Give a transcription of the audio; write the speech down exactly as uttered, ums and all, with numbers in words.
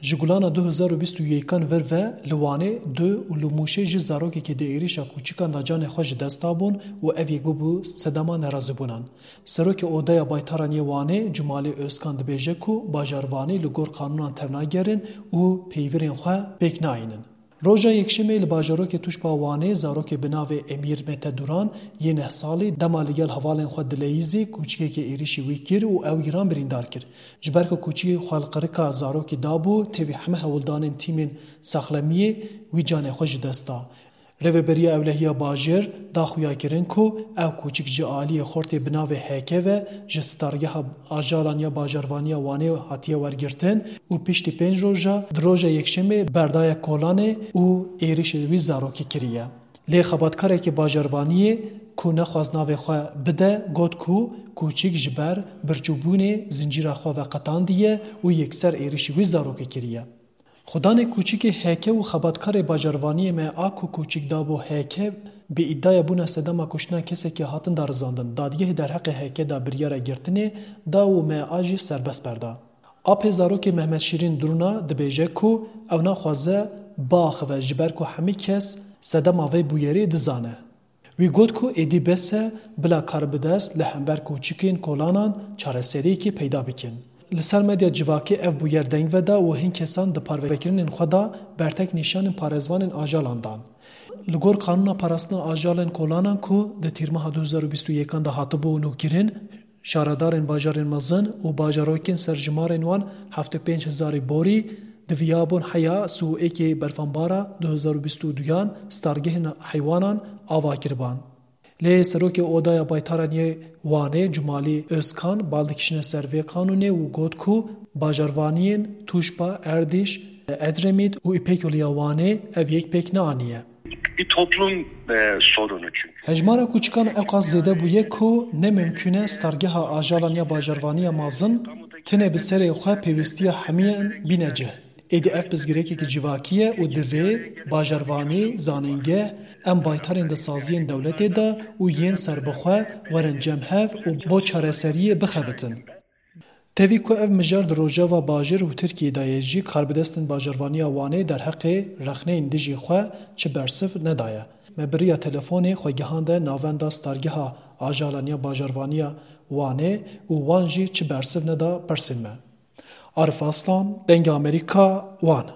Ji Gulana du hezar û bîst û yekan vir ve li Wanê du û li Mûşê jî zarokekî di êrîşa kûçikan de canê xwe ji dest dabûn û ev yek bûbû sedema nerazîbûnan. Serokê Odeya Baytaran yê Wanê Cumalî Özkan dibêje ku bajarvanî li gor qanûnan tevnagerin û peyvirên xwe pêk nayînin. Roja Yekşemê li bajarokê Tûşba Wanê zarokê bi navê Emîr Mete Duran yê neh salî dema li gel hevalên xwe dileyîzî kûçikekê êrîşî wî kir û ew giran birîndar kir. Ji ber ku kûçikê xwe li qirika zarokî dabû, tevî heme hewldanên tîmên saxlemiyê wî canê xwe ji dest da. Rêveberiya Ewlehiya Bajêr da xuyakirin ku ew kûçik ji aliyê xortê bi navê Heke ve ji stargeha ajalan ya bajarvaniya Wanê hatiye wergirtin û piştî pênc roja di roja Yekşemê berdaye kolanê û êrîşê wî zarokî kiriye. Lê xebatkarekî bajarvaniyê ku nexwast navê xwe bide, got ku kûçik ji ber birçûbûnê zincîra xwe veqetandiye û yekser êrîşî wî zarokê kiriye. Xudanê kûçikê Heke û xebatkarê bajarvaniyê me a ku kûçik dabû Heke, bi îdiaya bûna sedema kuştina kesekî hatin darizandin. Dadgehê derheqê Heke de biryara girtinê da û me a jî serbest berda. Apê zarokê Mehmet Şîrîn Durna dibêje ku ew naxwaze biaxive ji ber ku hemî kes sedema vê bûyerê dizane. Wî got ku êdî bes e bila karbidest li hember kûçikên kolanan çareseriyekê peyda bikin. Li ser medya civakê ev bûyer deng veda û hin kesan di parvekirinên xwe de bertek nîşanên parêzvanên ajalan dan. Li gor qanûna parastina ajalên kolanan ku di tîrmeha du hezar û bîst û yekan de hatibû nûkirin, şaredarên bajarên mezin û bajarokên serjimarên wan heftê pênc hezarî borî diviyabûn heya sî û êkê berfanbara du hezar û bîst û duyan stargehên heywanan ava kiriban. Lê Serokê Odaya Baytaran yê Wanê Cumalî Özkan bal dikişîne ser vê qanûnê û got ku bajarvaniyên Tûşba, Erdîş, Edremît û Îpekyolû ya Wanê ev yek pêk neaniye. Bir toplum e, sorunu çünkü. Hejmara kûçikan ewqas zêde bûye ku ne mimkûn e stargeha ajalan ya bajarvaniya mezin tenê bi serê xwe pêwîstiya hemiyan bîne cih. Êdî ev pirsgirêkekî civakî ye û divê bajarvanî, zanîngeh, em baytarên di saziyên dewletê de û yên serbixwe werin cem hev û bo çareseriyê bixebitin. Tevî ku ev mijar di Rojava Bajêr û Tirkiyê de ye jî, karbidestên bajarvaniya Wanê derheqê rexneyên dijî xwe çi bersiv nedaye. Me bi riya telefonê xwe gihande navenda stargeha ajalan ya bajarvaniya Wanê û wan jî çi bersiv neda pirsên me. Arif Aslan, Dengê Amerîka, Wan.